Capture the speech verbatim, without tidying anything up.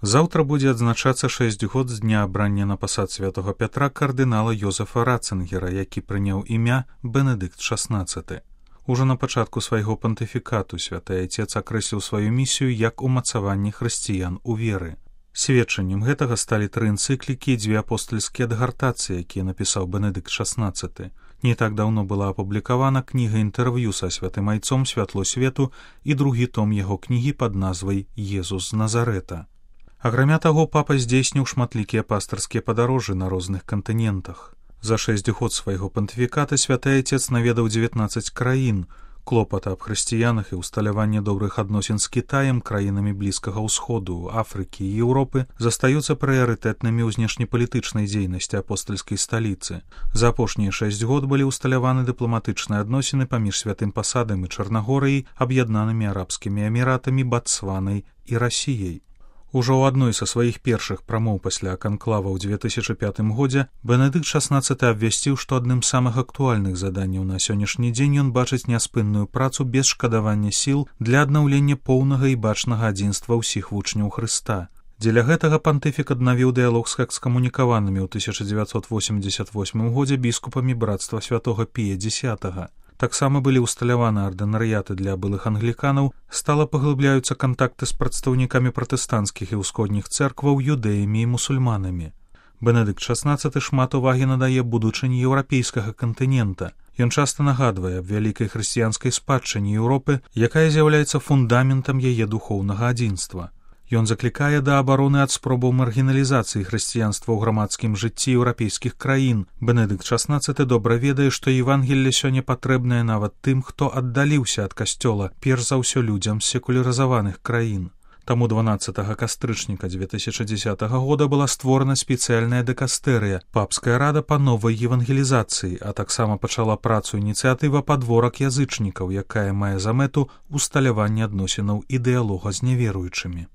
Заўтра будзе адзначацца шэсць год з дня абрання на пасад святога Пятра кардынала Йозефа Ратцынгера, які прыняў імя Бенедыкт шаснаццаты. Ужо на пачатку свайго пантыфікату святы Айцец акрэсліў сваю місію як умацаванне хрысціян у веры. Сведчаннем гэтага сталі тры энцыклікі і дзве апостальскія адгартацыі, якія напісаў Бенедыкт шаснаццаты. Не так даўно была апублікавана кніга інтэрв'ю са святым Айцом «Святло свету» і другі том яго кнігі пад назвай «Езус з Назарэта». Акрамя таго, папа здзейсніў шматлікія пастырскія падарожжы на розных кантынентах. За шэсць год свайго пантыфіката святы Айцец наведаў дзевятнаццаць краін. Клопата аб хрысціянах і ўсталяванне добрых адносін з Кітаем, краінамі Блізкага ўсходу, Афрыкі і Еўропы застаюцца прыярытэтнымі ў знешнепалітычнай дзейнасці апостальскай сталіцы. За апошнія шэсць год былі ўсталяваны дыпламатычныя адносіны паміж святым пасадам і Чарнагорыяй, аб'яднанымі арабскімі эміратамі, Батсванай і Расіяй. Ужо ў адной са сваіх першых прамоў пасля канклава ў дзве тысячы пятым годзе Бенедыкт шаснаццаты абвясціў, што адным з самых актуальных заданняў на сённяшні дзень ён бачыць няспынную працу без шкадавання сіл для аднаўлення поўнага і бачнага адзінства ўсіх вучняў Хрыста. Дзеля гэтага пантыфік аднавіў дыялог з экскамунікаванымі ў тысяча дзевяцьсот восемьдзесят восьмым годзе біскупамі брацтва святога Пія дзесятага. Таксама былі ўсталяваны ардынарыяты для былых англіканаў, стала паглыбляюцца кантакты з прадстаўнікамі пратэстанцкіх і ўсходніх цэркваў, юдэямі і мусульманамі. Бенедыкт шаснаццаты шмат увагі надае будучыні еўрапейскага кантынента. Ён часта нагадвае аб вялікай хрысціянскай спадчыне Еўропы, якая з'яўляецца фундаментам яе духоўнага адзінства. Ён заклікае да абароны ад спробаў маргіналізацыі хрысціянства ў грамадскім жыцці еўрапейскіх краін. Бенедыкт шаснаццаты добра ведае, што Евангелле сёння патрэбнае нават тым, хто аддаліўся ад касцёла, перш за ўсё людзям з секулярызаваных краін. Таму дванаццатага кастрычніка дзве тысячы дзесятага года была створана спецыяльная дэкастэрыя, папская рада па новай евангелізацыі, а таксама пачала працу ініцыятыва «Падворак язычнікаў», якая мае за мэту усталяванне адносінаў і дыялога з няверуючымі.